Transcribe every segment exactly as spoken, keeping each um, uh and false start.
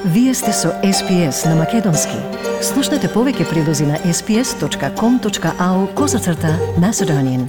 Вие сте со Ес Би Ес на Македонски. Слушнете повеќе прилози на ес би ес точка ком точка ау козацрта Macedonian.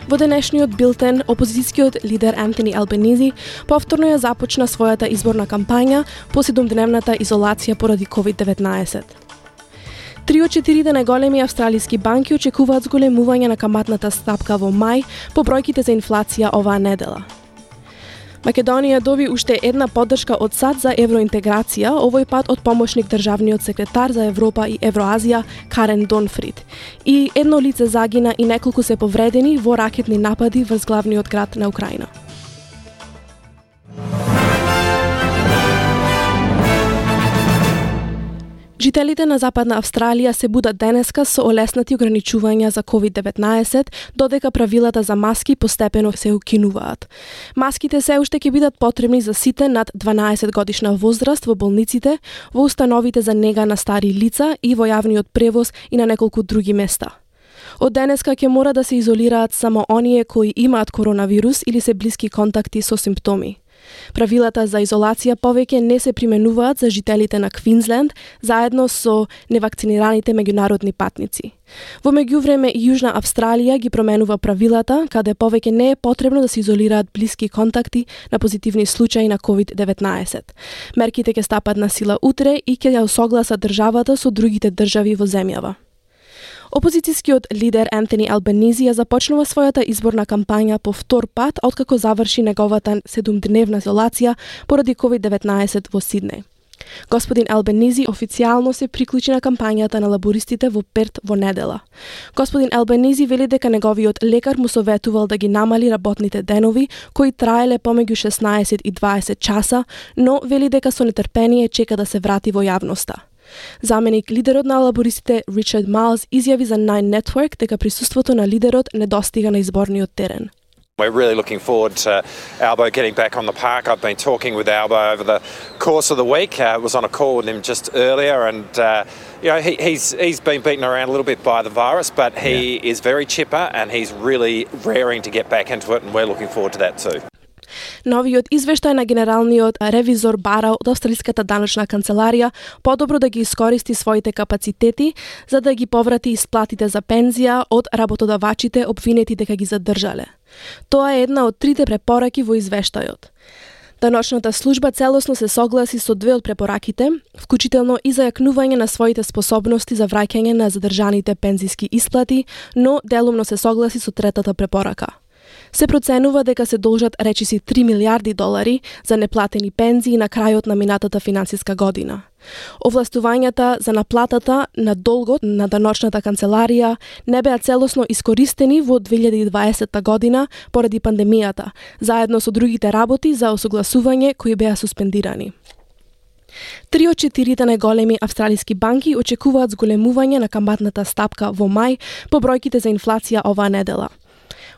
Во денешниот билтен, опозицијскиот лидер Антони Албанизи повторно ја започна својата изборна кампања по седумдневната изолација поради ковид деветнаесет. Три од четирите најголеми австралиски банки очекуваат зголемување на каматната стапка во мај по бројките за инфлација оваа недела. Македонија доби уште една поддршка од САД за евроинтеграција, овој пат од помошник државниот секретар за Европа и Евроазија Карен Донфрид. И едно лице загина и неколку се повредени во ракетни напади врз главниот град на Украина. Жителите на Западна Австралија се будат денеска со олеснати ограничувања за ковид деветнаесет, додека правилата за маски постепено се укинуваат. Маските се уште ќе бидат потребни за сите над дванаесет годишна возраст во болниците, во установите за нега на стари лица и во јавниот превоз и на неколку други места. Од денеска ќе мора да се изолираат само оние кои имаат коронавирус или се блиски контакти со симптоми. Правилата за изолација повеќе не се применуваат за жителите на Квинсленд, заедно со невакцинираните меѓународни патници. Во меѓувреме Јужна Австралија ги променува правилата, каде повеќе не е потребно да се изолираат блиски контакти на позитивни случаи на ковид деветнаесет. Мерките ќе стапат на сила утре и ќе ја согласат државата со другите држави во земјава. Опозицијскиот лидер Антони Албанизи ја започнува својата изборна кампања по втор пат откако заврши неговата седумдневна изолација поради ковид деветнаесет во Сиднеј. Господин Албанизи официјално се приклучи на кампањата на лабористите во Перт во недела. Господин Албанизи вели дека неговиот лекар му советувал да ги намали работните денови, кои траеле помеѓу шеснаесет и дваесет часа, но вели дека со нетрпение чека да се врати во јавноста. Заменик лидерот на лабористите Ричард Майлс изјави за Nine Network дека присуството на лидерот не достига на изборниот терен. We're really looking forward to Albo getting back on the park. I've been talking with Albo over the course of the week. I uh, was on a call with him just earlier, and uh, you know he, he's he's been beaten around a little bit by the virus, but he yeah. is very chipper and he's really raring to get back into it, and we're looking forward to that too. Новиот извештај на генералниот ревизор бара од Австралиската даночна канцеларија подобро да ги искористи своите капацитети за да ги поврати исплатите за пензија од работодавачите обвинети дека ги задржале. Тоа е една од трите препораки во извештајот. Даночната служба целосно се согласи со две од препораките, вклучително и за јакнување на своите способности за враќање на задржаните пензиски исплати, но делумно се согласи со третата препорака. Се проценува дека се должат речиси три милиарди долари за неплатени пензии на крајот на минатата финансиска година. Овластувањата за наплатата на долгот на даночната канцеларија не беа целосно искористени во две илјади и дваесетта година поради пандемијата, заедно со другите работи за осогласување кои беа суспендирани. Три од четирите најголеми австралиски банки очекуваат зголемување на каматната стапка во мај по бројките за инфлација оваа недела.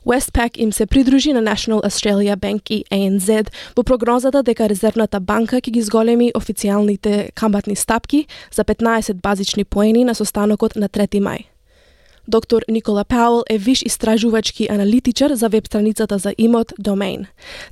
Westpac им се придружи на National Australia Bank и A N Z во прогнозата дека Резервната банка ќе ги зголеми официјалните каматни стапки за петнаесет базични поени на состанокот на трети мај. Доктор Никола Пауел е виш истражувачки аналитичар за веб страницата за имот Domain.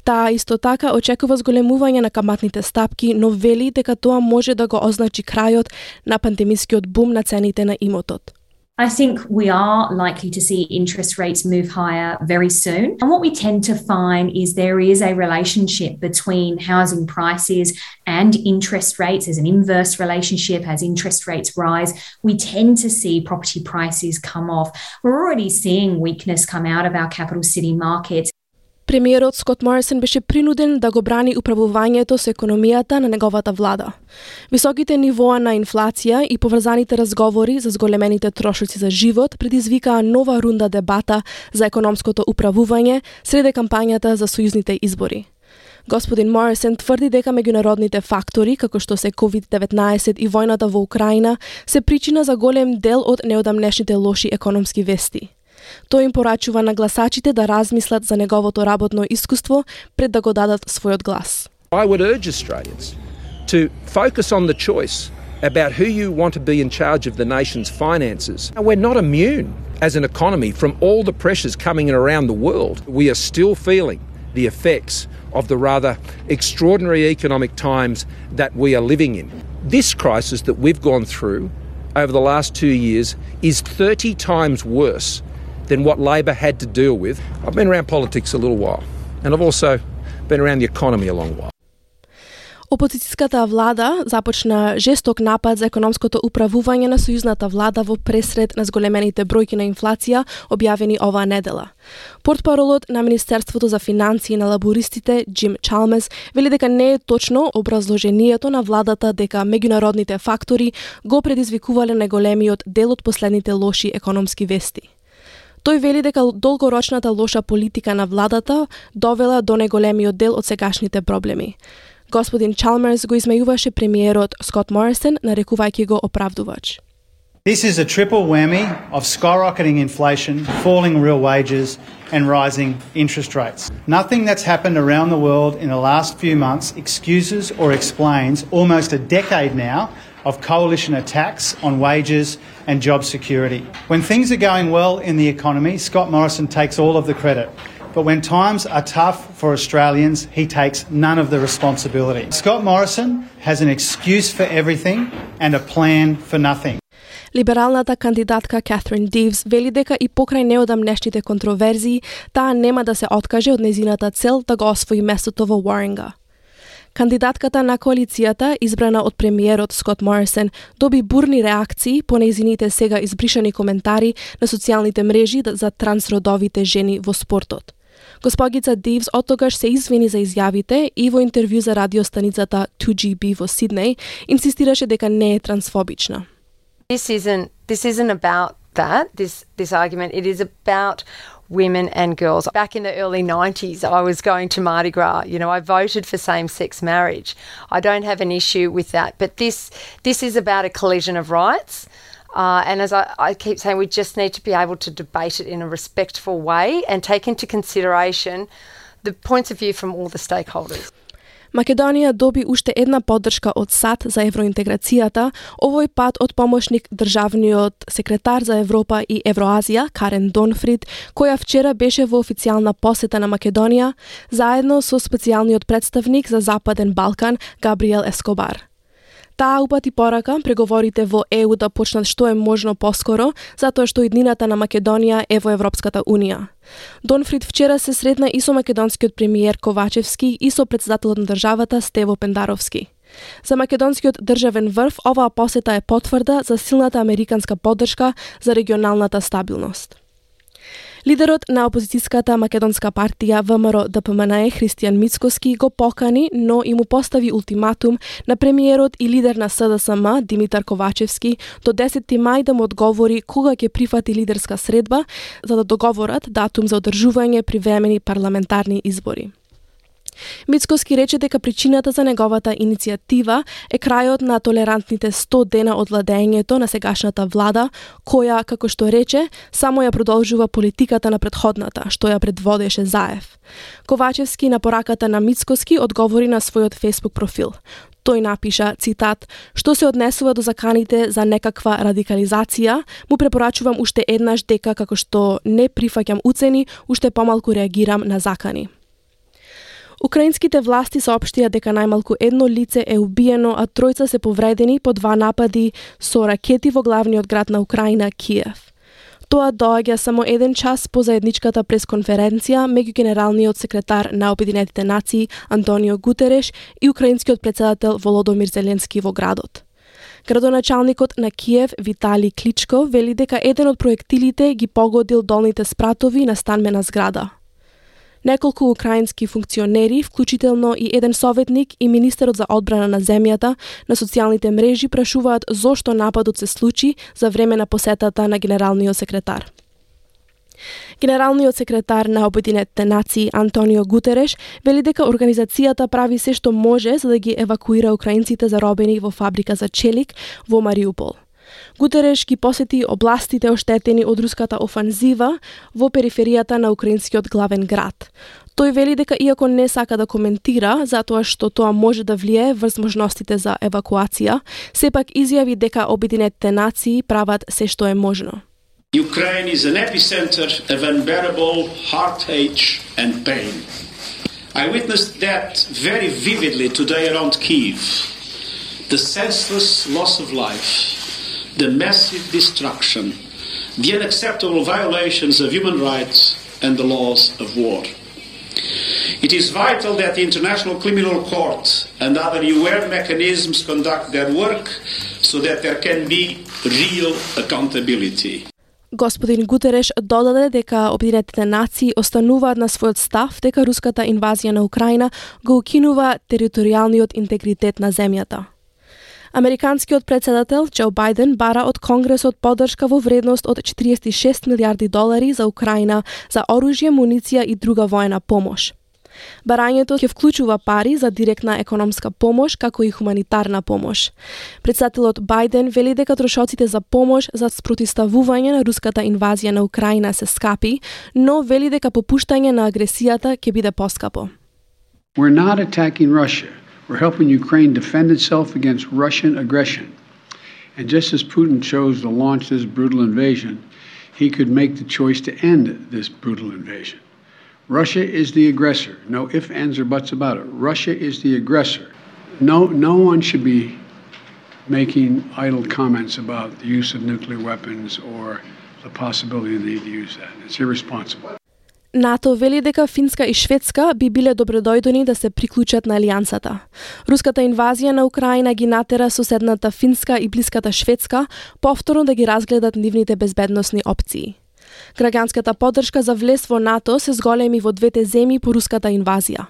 Таа исто така очекува зголемување на каматните стапки, но вели дека тоа може да го означи крајот на пандемискиот бум на цените на имотот. I think we are likely to see interest rates move higher very soon. And what we tend to find is there is a relationship between housing prices and interest rates. There's an inverse relationship. As interest rates rise, we tend to see property prices come off. We're already seeing weakness come out of our capital city markets. Премиерот Скот Морисон беше принуден да го брани управувањето со економијата на неговата влада. Високите нивоа на инфлација и поврзаните разговори за зголемените трошоци за живот предизвикаа нова рунда дебата за економското управување среде кампањата за сојузните избори. Господин Морисон тврди дека меѓународните фактори, како што се ковид деветнаесет и војната во Украина, се причина за голем дел од неодамнешните лоши економски вести. Тој им порачува на гласачите да размислат за неговото работно искуство пред да го дадат својот глас. I would urge Australians to focus on the choice about who you want to be in charge of the nation's finances. We're not immune as an economy from all the pressures coming in around the world. We are still feeling the effects of the rather extraordinary economic times that we are living in. This crisis that we've gone through over the last two years is thirty times worse than what Labor had to deal with. I've been around politics a little while, and I've also been around the economy a long while. Опозицијската влада започна жесток напад за економското управување на сојузната влада во пресред на зголемените бројки на инфлација објавени оваа недела. Портпаролот на Министерството за финансии на лабористите Джим Чалмерс вели дека не е точно образложението на владата дека меѓународните фактори го предизвикувале најголемиот дел од последните лоши економски вести. Тој вели дека долгорочната лоша политика на владата довела до најголемиот дел од сегашните проблеми. Господин Чалмерс го измејуваше премиерот Скот Морисон, нарекувајќи го оправдувач. This is a triple whammy of skyrocketing inflation, falling real wages and rising interest rates. Nothing that's happened around the world in the last few months excuses or explains almost a decade now of coalition attacks on wages and job security. When things are going well in the economy, Scott Morrison takes all of the credit. But when times are tough for Australians, he takes none of the responsibility. Scott Morrison has an excuse for everything and a plan for nothing. Либералната кандидатка Катрин Дивс вели дека и покрај неодамнешните контроверзии, таа нема да се откаже од незината цел да го освои местото во Warringah. Кандидатката на коалицијата, избрана од премиерот Скот Морисон, доби бурни реакции по нејзините сега избришани коментари на социјалните мрежи за трансродовите жени во спортот. Госпогица Дивс оттогаш се извини за изјавите и во интервју за радиостаницата two G B во Сиднеј инсистираше дека не е трансфобична. This isn't this isn't about that, this this argument. It is about women and girls. Back in the early nineties, I was going to Mardi Gras. You know, I voted for same-sex marriage. I don't have an issue with that. But this this is about a collision of rights. Uh, and as I, I keep saying, we just need to be able to debate it in a respectful way and take into consideration the points of view from all the stakeholders. Македонија доби уште една поддршка од САД за евроинтеграцијата, овој пат од помошник државниот секретар за Европа и Евроазија, Карен Донфрид, која вчера беше во официјална посета на Македонија, заедно со специјалниот представник за Западен Балкан, Габриел Ескобар. Таа упати порака преговорите во Е У да почнат што е можно поскоро, затоа што иднината на Македонија е во Европската Унија. Донфрид вчера се сретна и со македонскиот премиер Ковачевски и со претседателот на државата Стево Пендаровски. За македонскиот државен врв оваа посета е потврда за силната американска поддршка за регионалната стабилност. Лидерот на опозицијската македонска партија В М Р Д П М Н Е Христијан Мицкоски го покани, но и му постави ултиматум на премиерот и лидер на С Д С М Димитар Ковачевски до десети мај да му одговори кога ќе прифати лидерска средба за да договорат датум за одржување привремени парламентарни избори. Мицкоски рече дека причината за неговата иницијатива е крајот на толерантните сто дена од владењето на сегашната влада, која, како што рече, само ја продолжува политиката на претходната, што ја предводеше Заев. Ковачевски на пораката на Мицкоски одговори на својот Facebook профил. Тој напиша, цитат, што се однесува до заканите за некаква радикализација, му препорачувам уште еднаш дека како што не прифаќам уцени, уште помалку реагирам на закани. Украинските власти соопштија дека најмалку едно лице е убиено, а тројца се повредени по два напади со ракети во главниот град на Украина, Киев. Тоа доаѓа само еден час по заедничката пресконференција меѓу генералниот секретар на Обединетите нации Антонио Гутереш и украинскиот претседател Володомир Зеленски во градот. Градоначалникот на Киев Витали Кличко вели дека еден од проектилите ги погодил долните спратови на станбена зграда. Неколку украински функционери, вклучително и еден советник и министерот за одбрана на земјата, на социјалните мрежи прашуваат зошто нападот се случи за време на посетата на генералниот секретар. Генералниот секретар на Обединетите нации Антонио Гутереш вели дека организацијата прави се што може за да ги евакуира украинците заробени во фабрика за челик во Мариупол. Гутереш ги посети областите оштетени од руската офанзива во периферијата на украинскиот главен град. Тој вели дека иако не сака да коментира затоа што тоа може да влијае врз можностите за евакуација, сепак изјави дека Обединетите нации прават се што е можно. Ukraine is an epicenter of unbearable heartache and pain. I witnessed that very vividly today around Kyiv. The senseless loss of life, the massive destruction, the unacceptable violations of human rights and the laws of war. It is vital that the International Criminal Court and other U N mechanisms conduct their work so that there can be real accountability. Господин Гутереш додаде дека Обединетите нации остануваат на својот став дека руската инвазија на Украина го укинува територијалниот интегритет на земјата. Американскиот председател Џо Бајден бара од Конгресот поддршка во вредност од четириесет и шест милијарди долари за Украина за оружје, муниција и друга воена помош. Барањето ќе вклучува пари за директна економска помош, како и хуманитарна помош. Председателот Бајден вели дека трошоците за помош за спротивставување на руската инвазија на Украина се скапи, но вели дека попуштање на агресијата ќе биде поскапо. We're not attacking Russia. We're helping Ukraine defend itself against Russian aggression. And just as Putin chose to launch this brutal invasion, he could make the choice to end this brutal invasion. Russia is the aggressor. No ifs, ands, or buts about it. Russia is the aggressor. No, no one should be making idle comments about the use of nuclear weapons or the possibility of the need to use that. It's irresponsible. НАТО вели дека Финска и Шведска би биле добредојдени да се приклучат на алијансата. Руската инвазија на Украина ги натера соседната Финска и блиската Шведска повторно да ги разгледат нивните безбедносни опции. Граѓанската поддршка за влез во НАТО се зголеми во двете земји по руската инвазија.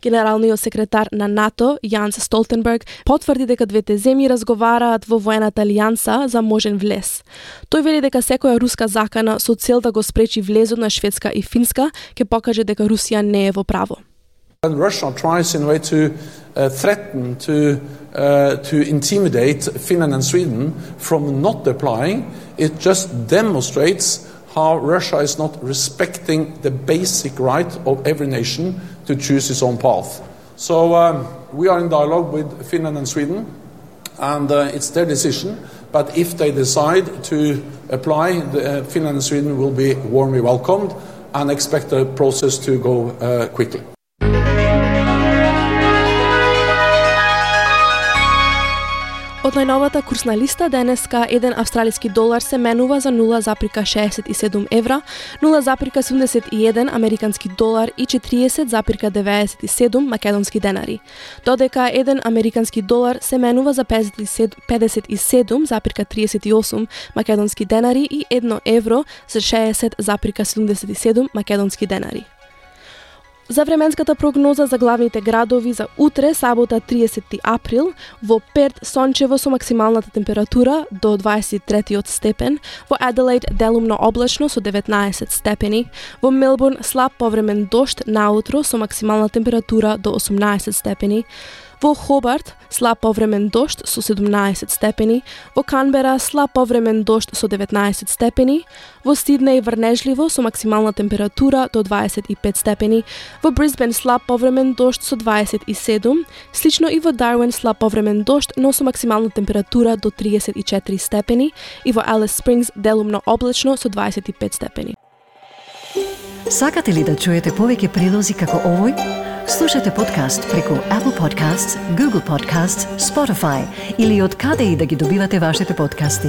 Генералниот секретар на НАТО, Јанс Столтенберг, потврди дека двете земји разговараат во воената алијанса за можен влез. Тој вели дека секоја руска закана со цел да го спречи влезот на Шведска и Финска ќе покаже дека Русија не е во право. And Russia tries in a way to uh, threaten, to uh, to intimidate Finland and Sweden from not applying. It just demonstrates how Russia is not respecting the basic right of every nation to choose its own path. So um, we are in dialogue with Finland and Sweden, and uh, it's their decision. But if they decide to apply, the, uh, Finland and Sweden will be warmly welcomed and expect the process to go uh, quickly. Од најновата курсна листа денеска еден австралиски долар се менува за нула запирка шеесет и седум евра, нула запирка седумдесет и еден американски долар и четириесет запирка деветдесет и седум македонски денари. Додека еден американски долар се менува за педесет и седум запирка триесет и осум македонски денари и едно евро за шеесет запирка седумдесет и седум македонски денари. За временската прогноза за главните градови за утре, сабота триесети април, во Перт сончево со максималната температура до дваесет и трети степен, во Аделаид делумно облачно со деветнаесет степени, во Мелбурн слаб повремен дожд наутро со максимална температура до осумнаесет степени, во Хобарт слаб повремен дожд со седумнаесет степени, во Канбера слаб повремен дожд со деветнаесет степени, во Сиднеј врнежливо со максимална температура до дваесет и пет степени, во Брисбен слаб повремен дожд со дваесет и седум, слично и во Дарвин слаб повремен дожд, но со максимална температура до триесет и четири степени и во Алис Спрингс делумно облачно со дваесет и пет степени. Сакате ли да чуете повеќе прилози како овој? Слушате подкаст преку Apple Podcasts, Google Podcasts, Spotify или од каде и да ги добивате вашите подкасти.